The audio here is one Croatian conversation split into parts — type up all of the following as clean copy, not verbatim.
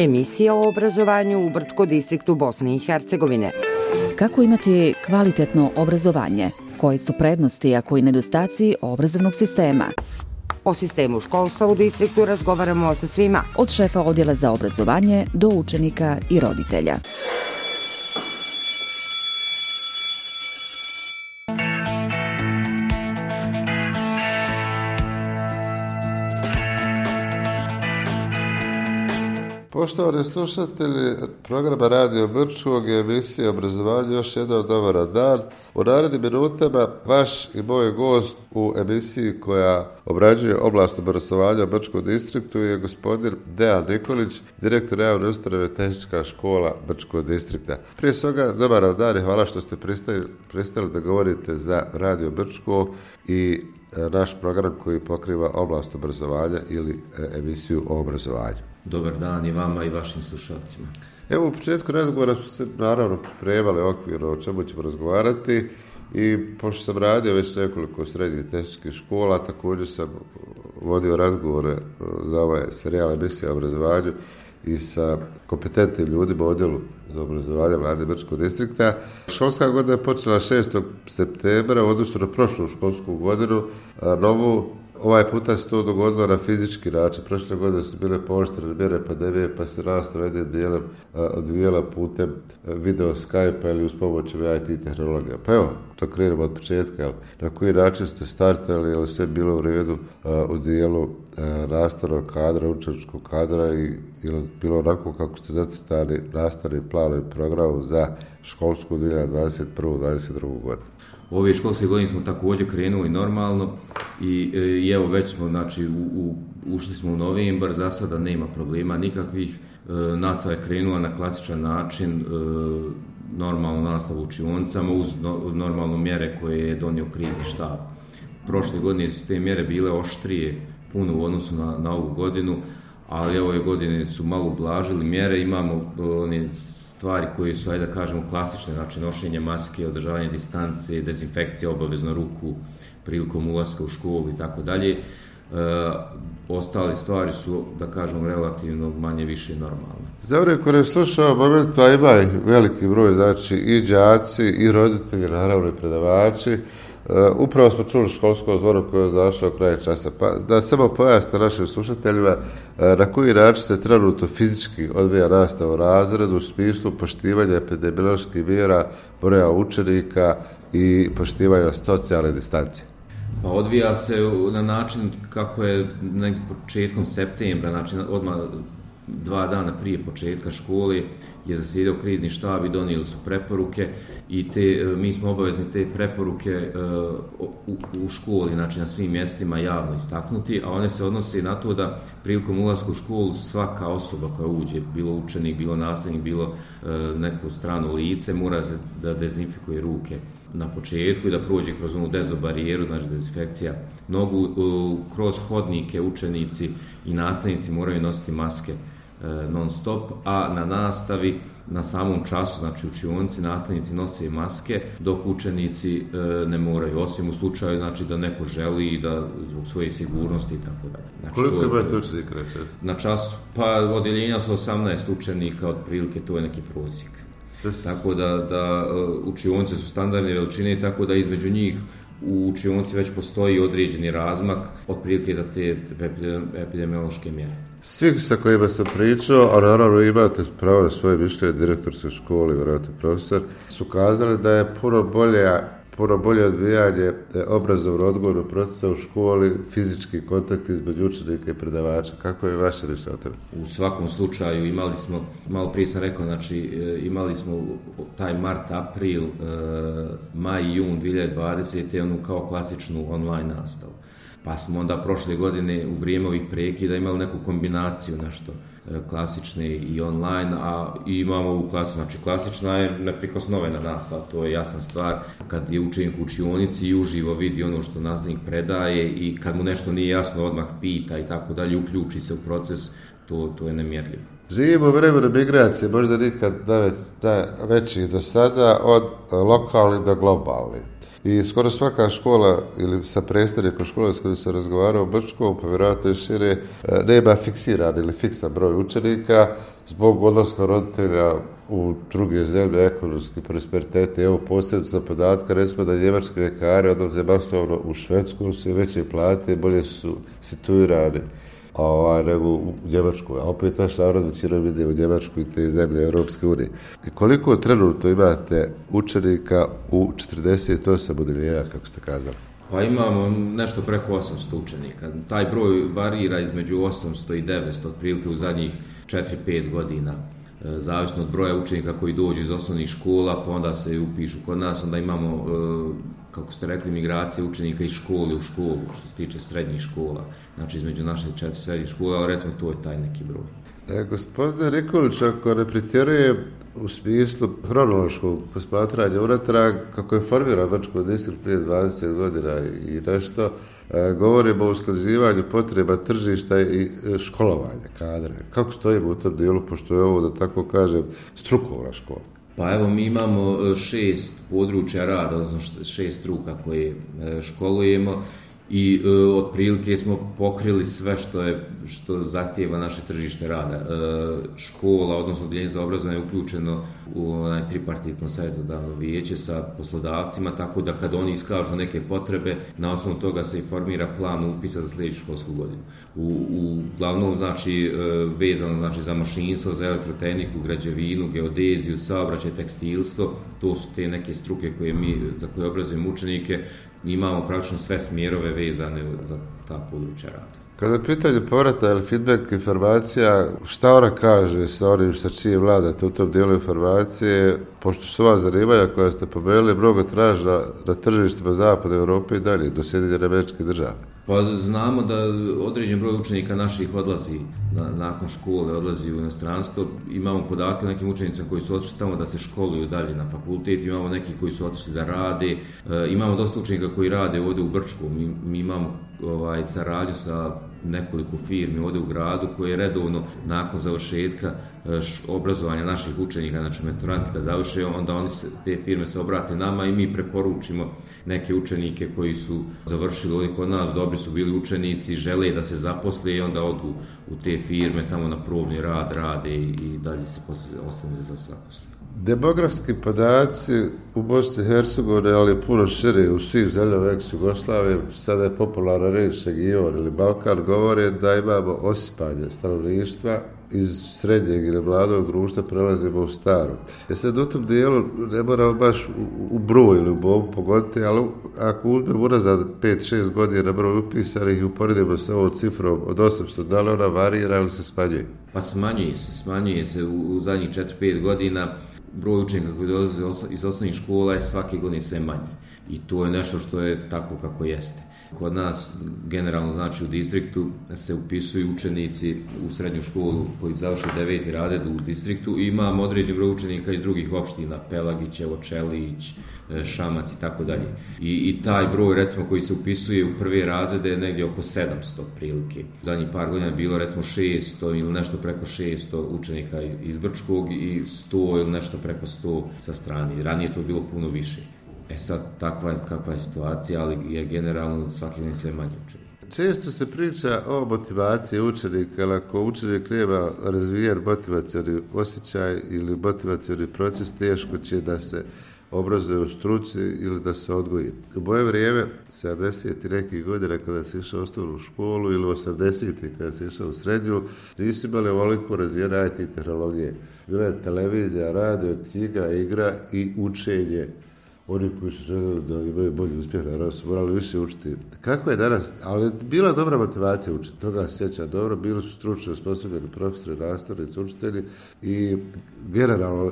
Emisija o obrazovanju u Brčko distriktu Bosne i Hercegovine. Kako imati kvalitetno obrazovanje? Koje su prednosti, a koji nedostaci obrazovnog sistema? O sistemu školstva u distriktu razgovaramo sa svima. Od šefa odjela za obrazovanje do učenika i roditelja. Poštovani slušatelji programa Radio Brčkog i emisije obrazovanja, još jedan dobar dan. U narednim minutama vaš i moj gost u emisiji koja obrađuje oblast obrazovanja u Brčkom distriktu je gospodin Dejan Nikolić, direktor javne ustanove Tehnička škola Brčkog distrikta. Prije svega, dobar dan i hvala što ste pristali da govorite za Radio Brčko i naš program koji pokriva oblast obrazovanja ili emisiju o obrazovanju. Dobar dan i vama i vašim slušalcima. Evo, u početku razgovora smo se naravno pripremali okvirno o čemu ćemo razgovarati i pošto sam radio već nekoliko srednjih tehničkih škola, također sam vodio razgovore za ovaj serijal emisije o obrazovanju i sa kompetentnim ljudima u odjelu za obrazovanje Vlade Brčkog distrikta. Školska godina je počela 6. septembra u odnosu na prošlu školsku godinu. Ovaj puta se to dogodilo na fizički način. Prošle godine su bile pooštrene mjere pandemije, pa se nastava jednim dijelom odvijela putem video Skype-a ili uz pomoć IT tehnologija. Pa evo, to krenemo od početka. Na koji način ste startali, je li sve bilo u redu u dijelu nastavnog kadra, učeničkog kadra i ili bilo onako kako ste zacrtali nastavni plan i program za školsku 2021-2022 godinu? Ove školske godine smo također krenuli normalno i evo već smo, znači, ušli smo u novembar, za sada nema problema nikakvih, nastava je krenula na klasičan način, normalno nastavu u učionicama uz normalno mjere koje je donio krizni štab. Prošle godine su te mjere bile oštrije puno u odnosu na ovu godinu, ali ove godine su malo ublažili mjere, imamo stvari koje su, ajde da kažemo, klasične, znači nošenje maske, održavanje distance, dezinfekcija obavezno ruku prilikom ulaska u školu i tako dalje. Ostale stvari su, da kažemo, relativno manje više normalne. Za vreme koje je slušao momentu, a ima veliki broj, znači i đaci i roditelji, naravno i predavači. Upravo smo čuli školsko zvono koje je označilo kraj časa. Pa da samo pojasnite našim slušateljima na koji način se trenutno fizički odvija nastava u razredu u smislu poštivanja epidemioloških mjera, broja učenika i poštivanja socijalne distance. Pa odvija se na način kako je početkom septembra, znači odmah 2 dana prije početka škole je zasjedao krizni štab i donijeli su preporuke i mi smo obavezni te preporuke u školi, znači na svim mjestima javno istaknuti, a one se odnose na to da prilikom ulaska u školu svaka osoba koja uđe, bilo učenik, bilo nastavnik, bilo neko strano lice, mora se da dezinfikuje ruke na početku i da prođe kroz onu dezobarijeru, znači dezinfekcija nogu, kroz hodnike učenici i nastavnici moraju nositi maske non stop, a na nastavi, na samom času, znači učionici, nastavnici nose maske, dok učenici ne moraju, osim u slučaju, znači, da neko želi da zbog svoje sigurnosti i tako dalje. Znači, koliko imate učenika na času? Na času, pa odjeljenja su 18 učenika, otprilike to je neki prosjek. Tako da učionice su standardne veličine, tako da između njih u učionici već postoji određeni razmak, otprilike za te epidemiološke mjere. Svi sa kojima sam pričao, a naravno imate pravo na svoje mišljenje, direktorske škole, vjerojatno profesor, su kazali da je puno bolje odvijanje obrazovno-odgojnog procesa u školi, fizički kontakt između učenika i predavača. Kako je vaše mišljenje o tome? U svakom slučaju imali smo, malo prije sam rekao, znači imali smo taj mart, april, maj i jun 2020. onu kao klasičnu online nastavu. Pa smo onda prošle godine u vrijeme ovih prekida imali neku kombinaciju nešto klasične i online, a imamo ovu klasu, znači klasična je neprikosnovena nastava, to je jasna stvar, kad je učenik u učionici i uživo vidi ono što nastavnik predaje i kad mu nešto nije jasno odmah pita i tako dalje, uključi se u proces, to je nemjerljivo. Živimo u vremenu migracije, možda nikad veći do sada, od lokalnih do globalnih. i skoro svaka škola ili sa predstavnikom škole s kojim se razgovarao u Brčkom, pa vjerojatno i šire, nema fiksiran ili fiksan broj učenika zbog odlaska roditelja u druge zemlje, ekonomski prosperitete. Evo posljedno za podatka, recimo da njemački ljekari odlaze masovno u Švedsku, su veće plate, bolje su situirani nego u Njemačku. A opet naš narod većinom ide u Njemačku i te zemlje Europske unije. I koliko trenutno imate učenika u 48 odeljenja, kako ste kazali? Pa imamo nešto preko 800 učenika. Taj broj varira između 800 i 900 otprilike u zadnjih 4-5 godina. Zavisno od broja učenika koji dođu iz osnovnih škola, pa onda se upišu kod nas, onda imamo, kako ste rekli, migracije učenika iz škole u školu, što se tiče srednjih škola. Znači između naše 4 srednjih škola, ali recimo to je taj neki broj. Gospodine Nikolić, ako ne pretjeruje u smislu hronološkog posmatranja unatrag, kako je formiran Brčko distrikt prije 20 godina i nešto, govorimo o usklađivanju potreba tržišta i školovanja kadra. Kako stojimo u tom dijelu, pošto je ovo, da tako kažem, strukovna škola? Pa evo, mi imamo 6 područja rada, odnosno 6 struka koje školujemo i otprilike smo pokrili sve što zahtijeva naše tržište rada. Škola, odnosno Odjeljenje za obrazovanje je uključeno u tripartitno savjetodavno vijeće sa poslodavcima, tako da kad oni iskažu neke potrebe, na osnovu toga se i formira plan upisa za sljedeću školsku godinu. Uglavnom, znači, vezano znači, za mašinstvo, za elektrotehniku, građevinu, geodeziju, saobraćaj, tekstilstvo, to su te neke struke za koje obrazujemo učenike. Imamo praktično sve smjerove vezane za ta područja rada. Kada je pitanje povrata ili feedback informacija, šta ona kaže sa onim sa čije vladate u tom dijelu informacije, pošto su ova zanimanja koja ste pomenuli mnogo tražna na tržištima Zapadne Europe i dalje, do Sjedinjenih Američkih Država? Pa znamo da određen broj učenika naših odlazi nakon škole, odlazi u inostranstvo. Imamo podatke o nekim učenicima koji su otišli tamo da se školuju dalje na fakultet, imamo neki koji su otišli da rade, imamo dosta učenika koji rade ovdje u Brčku. Mi imamo saradnju sa nekoliko firmi ovdje u gradu koje redovno nakon završetka obrazovanja naših učenika, znači mentorantika završe, onda te firme se obrate nama i mi preporučimo neke učenike koji su završili ovdje kod nas, dobri su bili učenici, žele da se zaposle i onda odu u te firme, tamo na probni rad rade i dalje se ostane za zaposle. Demografski podaci u Bosni i Hercegovini, ali puno šire u svim zemljama ex-Jugoslavije, sada je popularna reč region ili Balkan, govore da imamo osipanje stanovništva iz srednjeg ili mladog društva prelazimo u staro. Sad u tom dijelu ne moramo baš u broj ili u bobu pogoditi, ali ako uzmemo unazad 5-6 godina broj upisanih i uporedimo sa ovom cifrom od 800, da li ona varira ili se smanjuje? Pa smanjuje se u zadnjih 4-5 godina. Broj učenika koji dolaze iz osnovnih škola je svake godine sve manji. I to je nešto što je tako kako jeste. Kod nas, generalno znači u distriktu, se upisuju učenici u srednju školu koji završe 9. razred u distriktu i imamo određen broj učenika iz drugih opština, Pelagićevo, Čelić, Šamac i tako dalje. I taj broj, recimo, koji se upisuje u prve razrede je negdje oko 700 prilike. U zadnjih par godina je bilo, recimo, 600 ili nešto preko 600 učenika iz Brčkog i 100 ili nešto preko 100 sa strane. Ranije je to bilo puno više. Sad, kakva je situacija, ali je generalno svaki dan sve manje učenika. Često se priča o motivaciji učenika, ali ako učenik nema razvijen motivacioni osjećaj ili motivacioni proces, teško će da se obrazuje u struci ili da se odgoji. U moje vrijeme, 70. nekih godina kada se išao u osnovnu školu ili 80. kada se išao u srednju, nisu imali ovoliko razvijene IT tehnologije. Bila je televizija, radio, knjiga, igra i učenje. Oni koji su željeli da imaju bolji uspjeh, naravno su morali više učiti. Kako je danas? Ali bila je dobra motivacija učiti, toga se sjeća dobro, bili su stručno osposobljeni profesori, nastavnici, učitelji i generalno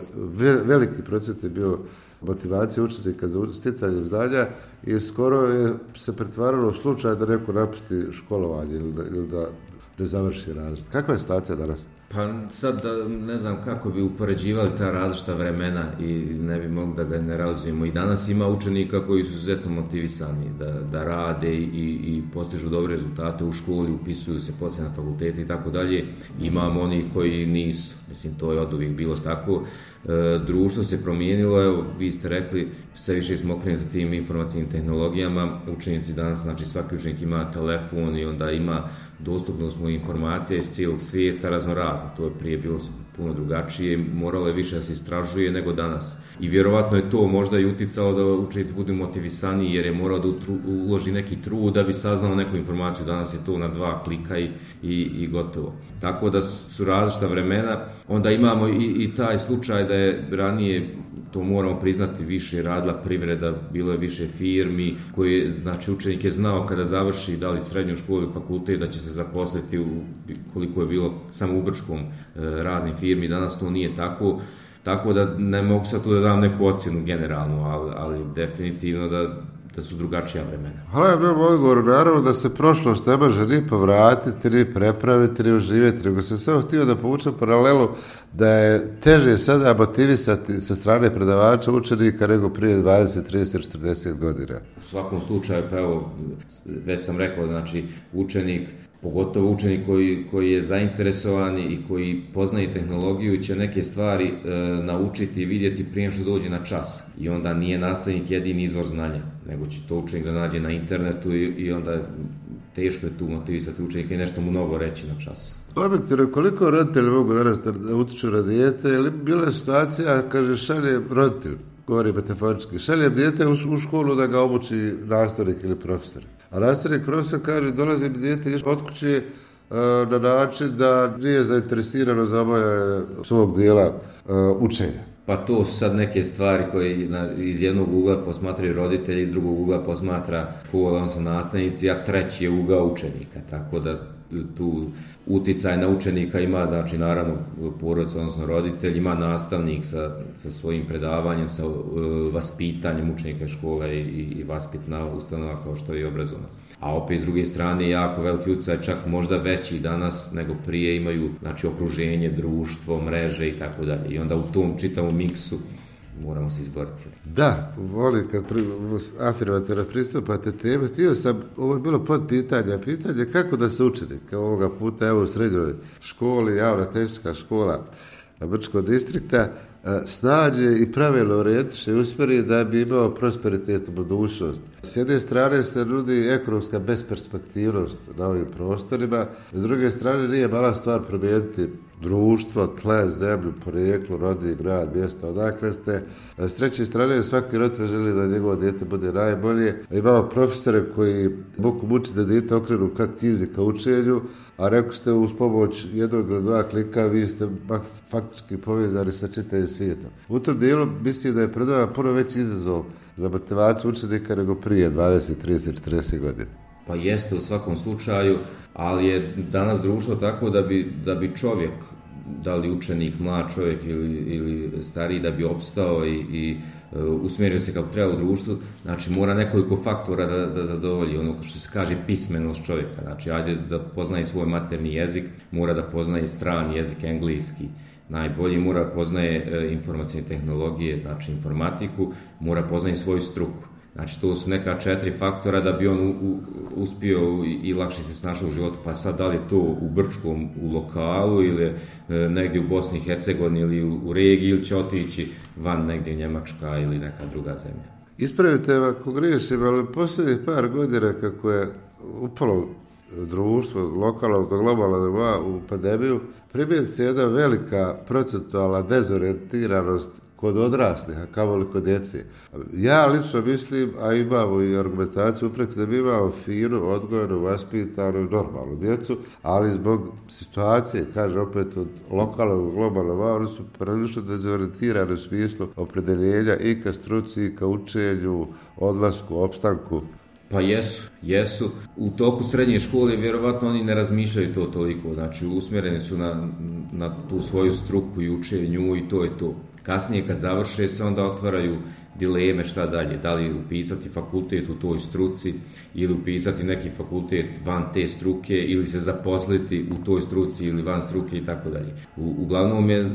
veliki procent je bio motivacija učenika za sticanjem znanja i skoro je se pretvaralo u slučaj da neko napusti školovanje ili da ne završi razred. Kakva je situacija danas? Pa sad ne znam kako bi upoređivali ta različita vremena i ne bi mogli da generalizujemo. I danas ima učenika koji su izuzetno motivisani da rade i postižu dobre rezultate u školi, upisuju se poslije na fakultete i tako dalje. Imamo onih koji nisu. Mislim, to je oduvijek bilo tako. Društvo se promijenilo, evo, vi ste rekli, sve više smo okrenuti tim informacijnim tehnologijama. Učenici danas, znači svaki učenik ima telefon i onda ima dostupnost mu informacija iz cijelog svijeta raznorazna. To je prije bilo puno drugačije, moralo je više da se istražuje nego danas. I vjerovatno je to možda i uticalo da učenici budu motivisaniji jer je morao da uloži neki trud da bi saznao neku informaciju. Danas je to na 2 klika i gotovo. Tako da su različita vremena. Onda imamo i taj slučaj da je ranije, to moramo priznati, više radila privreda, bilo je više firmi koje, znači učenik je znao kada završi da li srednju školu ili fakultet da će se zaposliti koliko je bilo samo u Brčkom raznih firmi. Danas to nije tako. Tako da ne mogu sad tu da dam neku ocjenu generalnu, ali definitivno da su drugačija vremena. Hvala vam na odgovoru. Naravno da se prošlost ne može ni povratiti, ni prepraviti, ni oživjeti, nego sam samo htio da povučem paralelu da je teže sada motivisati sa strane predavača učenika nego prije 20, 30, 40 godina. U svakom slučaju, pa evo, već sam rekao, znači učenik, pogotovo učenik koji je zainteresovan i koji poznaje tehnologiju će neke stvari naučiti i vidjeti prije što dođe na čas. I onda nije nastavnik jedini izvor znanja, nego će to učenik da nađe na internetu i onda teško je tu motivisati učenika i nešto mu novo reći na času. Objektivno, koliko roditelji mogu danas da utiču na dijete, ili bila je situacija, kaže, šalje roditelj, govori metaforički, šalje dijete u školu da ga obuči nastavnik ili profesor. A nastavnik profesor kaže, dolazi mi dijete od kuće na način da nije zainteresirano za obavljanje svog dijela učenja. Pa to su sad neke stvari koje iz jednog ugla posmatraju roditelji, iz drugog ugla posmatra škola, odnosno nastavnici, a treći je ugao učenika. Tako da tu uticaj na učenika ima, znači naravno porodica, odnosno roditelj, ima nastavnik sa svojim predavanjem, sa vaspitanjem učenika škola i vaspitna ustanova kao što je i obrazovna. A opet s druge strane jako veliki utjecaj, čak možda veći danas nego prije, imaju, znači, okruženje, društvo, mreže i tako dalje. I onda u tom čitavom miksu moramo se izboriti. Da, volim kad afirmativno pristupate teme. Htio sam, ovo je bilo pitanje kako da se učenik ovoga puta, evo u srednjoj školi, javna tehnička škola Brčkog distrikta, snađe i pravilno orijentiše i usmjeri da bi imao prosperitet u budućnost. S jedne strane se nudi ekonomska besperspektivnost na ovim prostorima, s druge strane nije mala stvar promijeniti društvo, tle, zemlju, porijeklo, rodni, grad, mjesto, odakle ste. S treće strane, svaki roditelj želi da njegovo dijete bude najbolje. Imamo profesore koji mogu mučiti da dijete okrenu ka knjizi, ka učenju, a rekli ste uz pomoć jednog ili 2 klika vi ste faktički povezani sa čitavim svijetom. U tom dijelu mislim da je pred nama puno veći izazov za motivaciju učenika nego prije 20, 30, 40 godina. Pa jeste u svakom slučaju, ali je danas društvo tako da bi čovjek, da li učenik, mlad čovjek ili stariji, da bi opstao i usmjerio se kako treba u društvu, znači mora nekoliko faktora da zadovolji ono što se kaže pismenost čovjeka. Znači ajde da poznaje svoj maternji jezik, mora da poznaje strani jezik, engleski, najbolji, mora da poznaje informacijne tehnologije, znači informatiku, mora poznaje svoju struku. Znači, to su neka 4 faktora da bi on uspio i lakše se snašao u životu. Pa sad, da li je to u Brčkom, u lokalu ili negdje u Bosni i Hercegovini ili u regiji, ili će otići van negdje Njemačka ili neka druga zemlja. Ispravite ako griješim, ali posljednjih par godina kako je upalo društvo lokalnog do globalnog nivoa u pandemiju, primijeti se jedna velika procentualna dezorijentiranost kod odraslih, a kamoli kod djece. Ja lično mislim, a imamo i argumentaciju uprek da mi imamo finu, odgojenu, vaspitanu i normalnu djecu, ali zbog situacije, kaže opet od lokalnog globalnog, oni su prilično dezorijentirani u smislu opredeljenja i ka struci, i ka učenju, odlasku, opstanku. Pa jesu. U toku srednje škole vjerovatno oni ne razmišljaju to toliko, znači usmjereni su na tu svoju struku i učenju i to je to. Kasnije kad završe se onda otvaraju dileme šta dalje, da li upisati fakultet u toj struci ili upisati neki fakultet van te struke ili se zaposliti u toj struci ili van struke i tako dalje. Uglavnom je,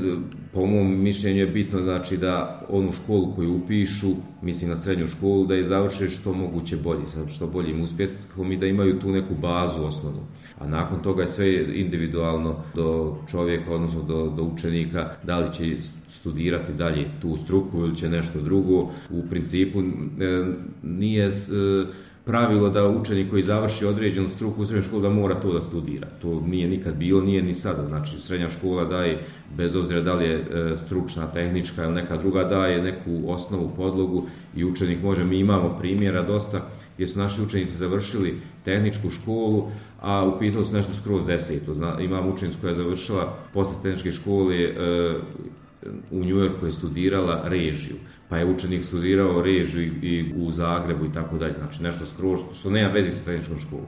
po mom mišljenju je bitno znači da onu školu koju upišu, mislim na srednju školu, da je završe što moguće bolje, što bolje im uspjehom i da imaju tu neku bazu osnovnu. A nakon toga je sve individualno do čovjeka, odnosno do učenika, da li će studirati dalje tu struku ili će nešto drugo. U principu nije pravilo da učenik koji završi određenu struku u srednjoj školi da mora to da studira. To nije nikad bilo, nije ni sada. Znači, srednja škola daje, bez obzira da li je stručna, tehnička ili neka druga, daje neku osnovu, podlogu i učenik može, mi imamo primjera dosta gdje su naši učenici završili tehničku školu, a upisali su nešto skroz deseto. Imam učenicu koja je završila posle tehničke škole u New Yorku je studirala režiju, pa je učenik studirao režiju i u Zagrebu i tako dalje. Znači nešto skroz što nema veze sa tehničkom školom.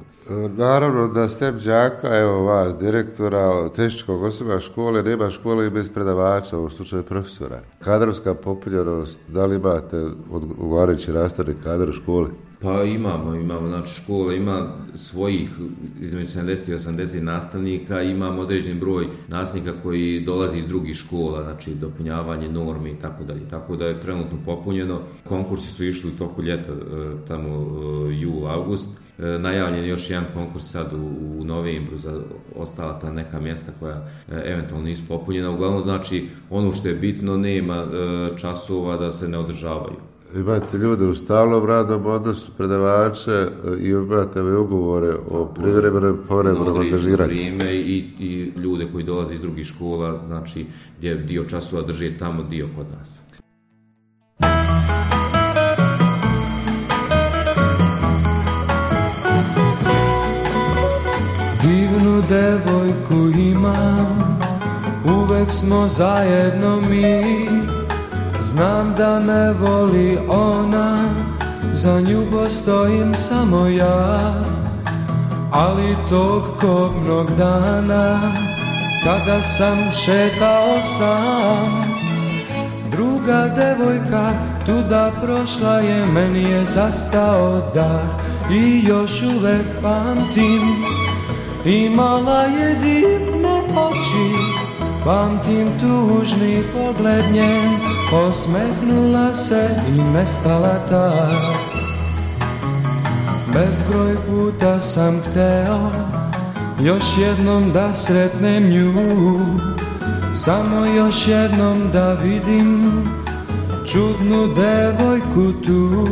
Naravno da STEM đaka, evo vas, direktora tehničkog osoba škole, nema škole i bez predavača, u slučaju profesora. Kadrovska popunjenost, da li imate odgovarajući nastavni kadar u školi? Pa imamo, znači škola ima svojih između 70 i 80 nastavnika, imamo određen broj nastavnika koji dolazi iz drugih škola, znači dopunjavanje normi i tako dalje, tako da je trenutno popunjeno. Konkursi su išli u toku ljeta, tamo jul, avgust. Najavljen je još jedan konkurs sad u novembru za ostala ta neka mjesta koja eventualno nisu popunjena. Uglavnom znači ono što je bitno, nema časova da se ne održavaju. Imate ljude u stalnom radnom odnosu, predavače i imate ugovore o privremenom povremenom angažiranju. Vrijeme i ljude koji dolaze iz drugih škola, znači gdje dio časova drže tamo, dio kod nas. Divnu devojku imam, uvek smo zajedno mi. Znam da me voli ona, za nju postojim samo ja. Ali tog kobnog dana, kada sam šetao sam, druga devojka tuda prošla je, meni je zastao dah i još uvek pamtim. Imala je divne oči, pamtim tužni pogled njen, osmehnula se i nestala tak. Bezbroj puta sam hteo još jednom da sretnem nju, samo još jednom da vidim čudnu devojku tu.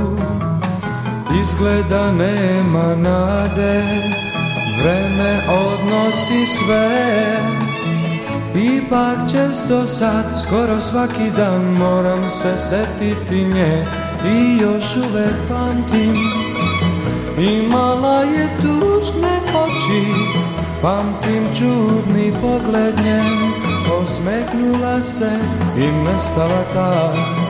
Izgleda nema nade, vreme odnosi sve. Ipak često sad, skoro svaki dan moram se setiti nje i još uvek pamtim. Imala je tužne oči, pamtim čudni pogled njen, osmehnula se i nestala tak.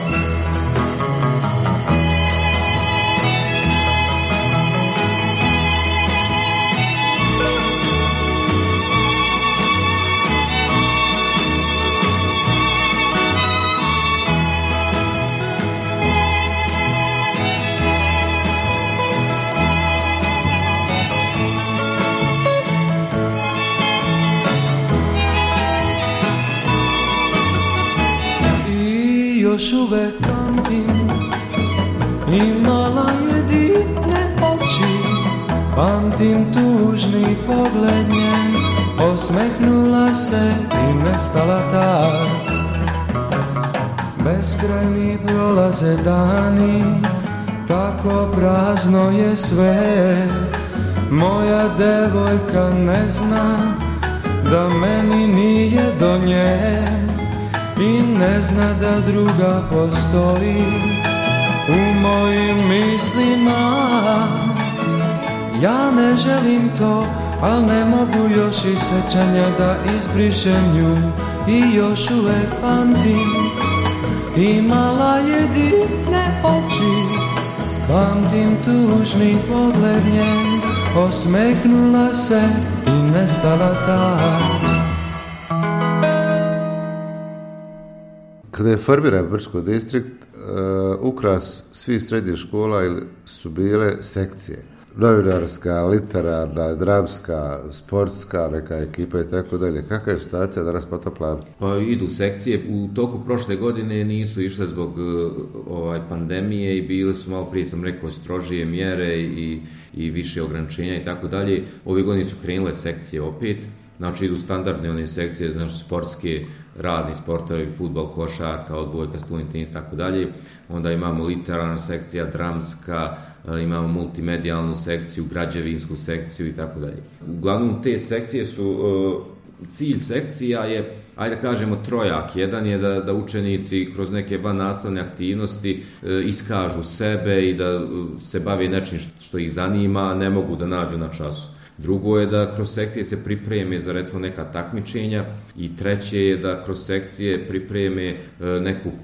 Još uvek pamtim, imala je divne oči, pamtim tužni pogled njen, osmehnula se i nestala tak. Beskrajni prolaze dani, tako prazno je sve. Moja devojka ne zna da meni nije do nje i ne zna da druga postoji u mojim mislima. Ja ne želim to, al ne mogu još iz sećanja da izbrišem nju i još uvek pamtim. Imala je divne oči, pamtim tužni pogled njen, osmehnula se i nestala tak. Kada je formiran Brčko distrikt, ukras svih srednjih škola su bile sekcije. Novinarska, literarna, dramska, sportska, neka ekipa i tako dalje. Kakva je situacija danas po tom planu? Pa idu sekcije. U toku prošle godine nisu išle zbog pandemije i bili su, malo prije sam rekao, strožije mjere i više ograničenja i tako dalje. Ove godine su krenule sekcije opet. Znači idu standardne one sekcije, znači sportske, razni sportovi, fudbal, košarka, odbojka, stolni tenis, tako dalje. Onda imamo literarna sekcija, dramska, imamo multimedijalnu sekciju, građevinsku sekciju i tako dalje. Uglavnom te sekcije su, cilj sekcija je, ajde da kažemo, trojak. Jedan je da učenici kroz neke vannastavne aktivnosti iskažu sebe i da se bave nečim što ih zanima, a ne mogu da nađu na času. Drugo je da kroz sekcije se pripreme za, recimo, neka takmičenja i treće je da kroz sekcije pripreme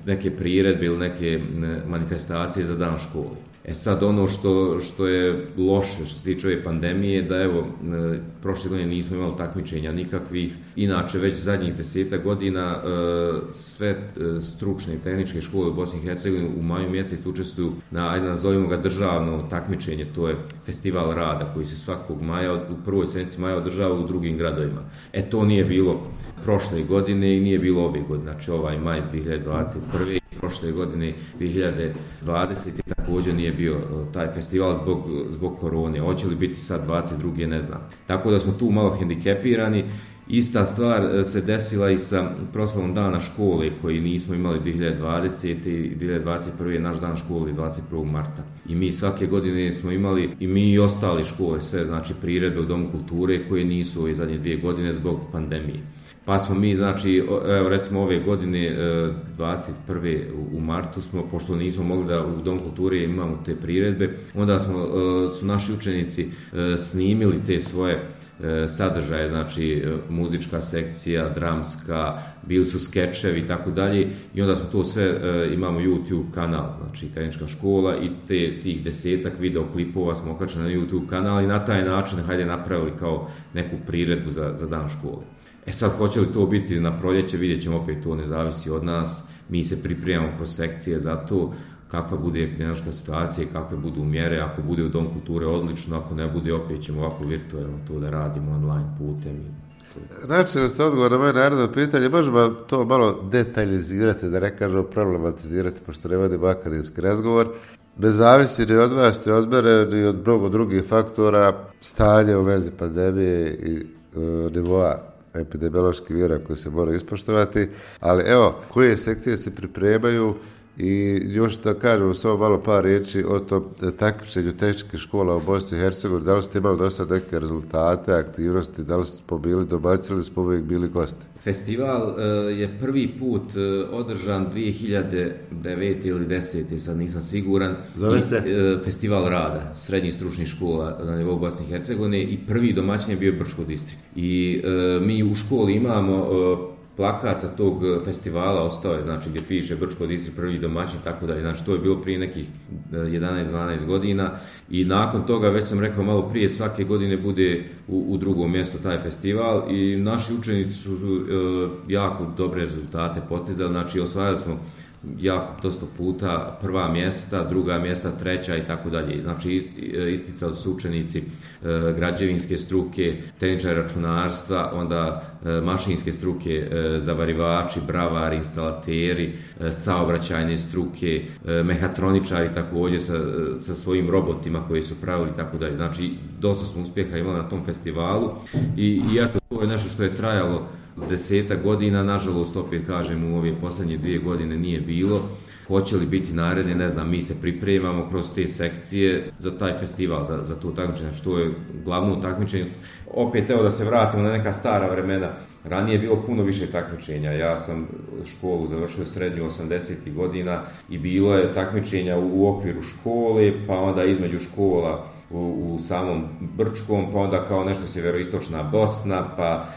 neke priredbe ili neke manifestacije za dan škole. Sad ono što je loše što se tiče ove pandemije, da evo, prošle godine nismo imali takmičenja nikakvih. Inače, već zadnjih 10 godina sve stručne i tehničke škole u Bosni i Hercegovini u maju mjesecu učestvuju na, ajde nazovimo ga, državno takmičenje, to je festival rada koji se svakog maja, u prvoj sedmici maja održava u drugim gradovima. To nije bilo prošle godine i nije bilo ove godine, znači ovaj maj 2021. Prošle godine 2020. također nije bio taj festival zbog korone. Hoće li biti sad 22. ne znam. Tako da smo tu malo hendikepirani. Ista stvar se desila i sa proslavom dana škole koji nismo imali 2020. i 2021. je naš dan škole 21. marta. I mi svake godine smo imali, i mi i ostali škole, sve, znači priredbe u Domu kulture koje nisu ove zadnje 2 godine zbog pandemije. Pa smo mi, znači, evo recimo ove godine 21. u martu smo, pošto nismo mogli da u Dom kulture imamo te priredbe, onda su naši učenici snimili te svoje sadržaje, znači muzička sekcija, dramska, bili su skečevi i tako dalje, i onda smo to sve, imamo YouTube kanal, znači Tehnička škola, i tih 10-ak videoklipova smo okačili na YouTube kanal i na taj način napravili kao neku priredbu za dan škole. Sad, hoće li to biti na proljeće, vidjet ćemo, opet to ne zavisi od nas. Mi se pripremamo kroz sekcije za to, kakva bude epidemiološka situacija i kakve budu mjere. Ako bude u Dom kulture, odlično, ako ne bude, opet ćemo ovako virtualno to da radimo online putem. Način ste odgovor na moje naredno pitanje, možemo to malo detaljizirati, da ne kažemo problematizirati, pošto ne vodimo akademski razgovor. Ne zavisi ni od vas, ni od mene, ni od mnogo drugih faktora, stanje u vezi pandemije i nivoa epidemioloških mjera koje se moraju ispoštovati, ali evo, koje sekcije se pripremaju i još da kažemo samo malo par riječi o tom takmičenju tehničkih škola u Bosni i Hercegovini. Da li ste imali do sad neke rezultate, aktivnosti, da li smo bili domaći ili smo uvijek bili gosti? Festival je prvi put održan 2009. ili 2010. sad nisam siguran. Zove se? Festival rada srednjih stručnih škola na nivou Bosne i Hercegovine, i prvi domaćin je bio Brčko distrikt. I mi u školi imamo plakat sa tog festivala, ostao je, znači, gdje piše Brčko distrikt prvi domaćin, tako da, znači, to je bilo prije nekih 11-12 godina, i nakon toga, već sam rekao malo prije, svake godine bude u drugom mjestu taj festival, i naši učenici su jako dobre rezultate postizali, znači osvajali smo jako dosta puta prva mjesta, druga mjesta, treća i tako dalje. Znači isticali su učenici građevinske struke, tehničari računarstva, onda mašinske struke, zavarivači, bravari, instalateri, saobraćajne struke, mehatroničari također sa svojim robotima koji su pravili i tako dalje. Znači dosta smo uspjeha imali na tom festivalu, i iako to je nešto što je trajalo 10 godina, nažalost, opet kažem, u ove posljednje 2 godine nije bilo. Hoće li biti naredne, ne znam, mi se pripremamo kroz te sekcije za taj festival, za to takmičenje, što je glavno takmičenje. Opet, evo da se vratimo na neka stara vremena. Ranije je bilo puno više takmičenja. Ja sam školu završio srednju 80. godina i bilo je takmičenja u okviru škole, pa onda između škola u samom Brčkom, pa onda kao nešto sjeveroistočna Bosna,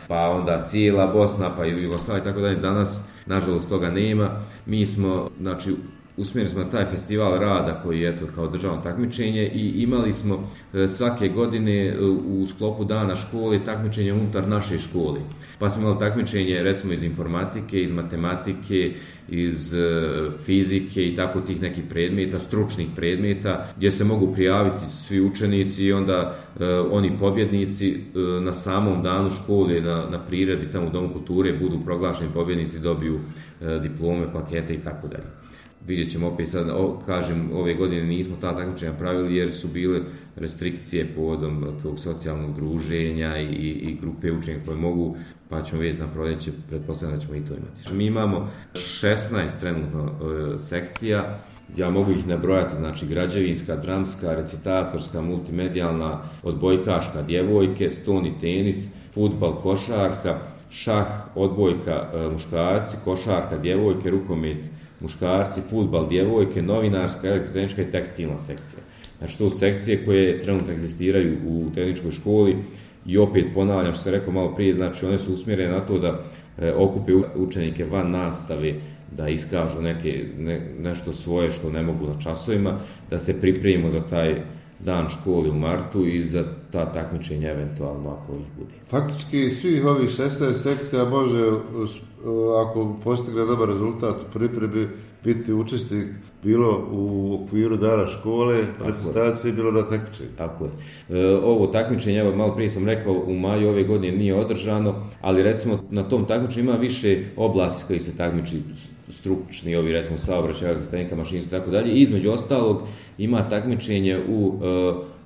pa onda cijela Bosna, pa i Jugoslavija i tako dalje. Danas, nažalost, toga nema. Mi smo, znači, usmjerili smo na taj festival rada koji je kao državno takmičenje i imali smo svake godine u sklopu dana škole takmičenje unutar naše škole. Pa smo imali takmičenje recimo iz informatike, iz matematike, iz fizike i tako tih nekih predmeta, stručnih predmeta gdje se mogu prijaviti svi učenici i onda oni pobjednici na samom danu škole na priredbi tamo u Domu kulture budu proglašeni pobjednici, dobiju diplome, plakete i tako dalje. Vidjet ćemo opet sad, kažem, ove godine nismo ta takmičenja pravili jer su bile restrikcije povodom tog socijalnog druženja i grupe učenika koje mogu, pa ćemo vidjeti na proljeće, pretpostavljam da ćemo i to imati. Mi imamo 16 trenutno sekcija, ja mogu ih nabrojati, znači građevinska, dramska, recitatorska, multimedijalna, odbojkaška, djevojke, stoni tenis, fudbal, košarka, šah, odbojka, muškarci, košarka, djevojke, rukomet, muškarci, fudbal, djevojke, novinarska, elektrotehnička i tekstilna sekcija. Znači to su sekcije koje trenutno egzistiraju u tehničkoj školi i opet ponavljam što sam rekao malo prije, znači one su usmjerene na to da okupe učenike van nastave, da iskažu nešto svoje što ne mogu na časovima, da se pripremimo za taj dan škole u martu i za ta takmičenja eventualno ako ih bude. Faktički svih ovih 16 sekcija može, ako postigne dobar rezultat u pripremi, biti učesnik bilo u okviru dana škole, manifestacije, bilo na takmičenju. Tako je. Ovo takmičenje, evo malo prije sam rekao, u maju ove godine nije održano, ali recimo na tom takmičenju ima više oblasti koji se takmiči, stručni, ovi recimo saobraćaj, elektrotehnika, mašinstvo i tako dalje. Između ostalog ima takmičenje u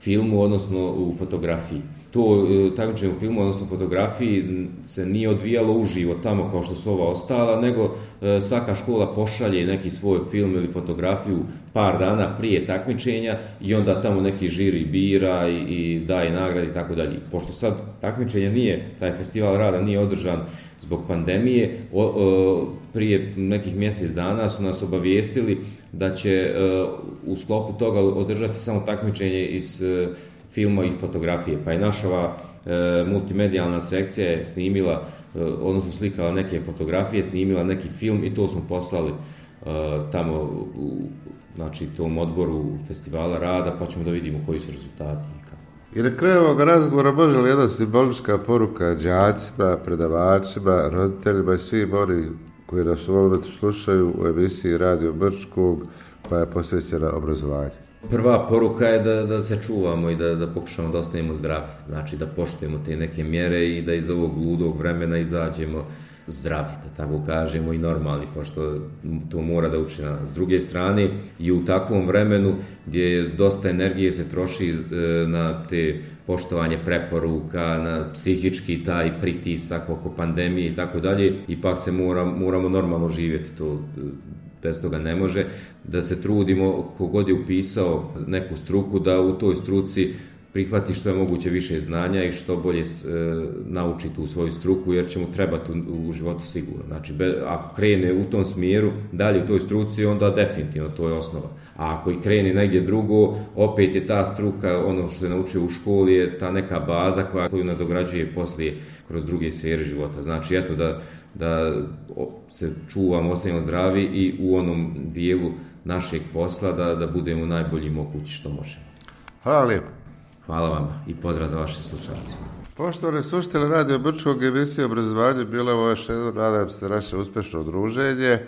filmu, odnosno u fotografiji. To takmičenje u filmu, odnosno fotografiji, se nije odvijalo uživo tamo kao što su ova ostala, nego svaka škola pošalje neki svoj film ili fotografiju par dana prije takmičenja i onda tamo neki žiri bira i daje nagrade i tako dalje. Pošto sad takmičenje nije, taj festival rada nije održan zbog pandemije, prije nekih mjesec dana su nas obavijestili da će u sklopu toga održati samo takmičenje iz filma i fotografije. Pa je naša multimedijalna sekcija je snimila, odnosno slikala neke fotografije, snimila neki film i to smo poslali tamo u tom odboru festivala rada, pa ćemo da vidimo koji su rezultati i kako. I na kraju ovog razgovora može li jedna simbolička poruka đacima, predavačima, roditeljima i svim oni koji nas u ovom momentu slušaju u emisiji Radio Brčkog koja je posvećena obrazovanju? Prva poruka je da se čuvamo i da pokušamo da ostanemo zdravi. Znači da poštujemo te neke mjere i da iz ovog ludog vremena izađemo zdravi, da tako kažemo, i normalni, pošto to mora da uči na nas. S druge strane, i u takvom vremenu gdje dosta energije se troši na te poštovanje preporuka, na psihički taj pritisak oko pandemije i tako dalje, ipak se moramo normalno živjeti, to bez toga ne može, da se trudimo, kogod je upisao neku struku, da u toj struci prihvati što je moguće više znanja i što bolje nauči tu svoju struku, jer će mu trebati u životu sigurno. Znači, ako krene u tom smjeru, dalje u toj struci, onda definitivno to je osnova. A ako i krene negdje drugo, opet je ta struka, ono što je naučio u školi, je ta neka baza koju nadograđuje poslije kroz druge sfere života. Znači, eto da se čuvamo, ostanemo zdravi i u onom dijelu našeg posla da budemo najbolji mogući što možemo. Hvala lijepo. Hvala vama i pozdrav za vaše slušalce. Poštovani slušatelji Radio Brčkog, emisije obrazovanja bilo je ovo još jedno, nadam se, naše uspješno druženje.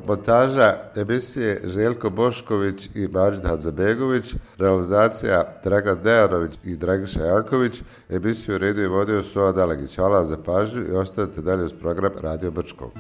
Montaža emisije Željko Bošković i Mađid Hadzabegović, realizacija Dragan Dejanović i Dragiša Janković, emisiju redio i vodio Soa Dalegić. Hvala vam za pažnju i ostanite dalje uz program Radio Brčkog.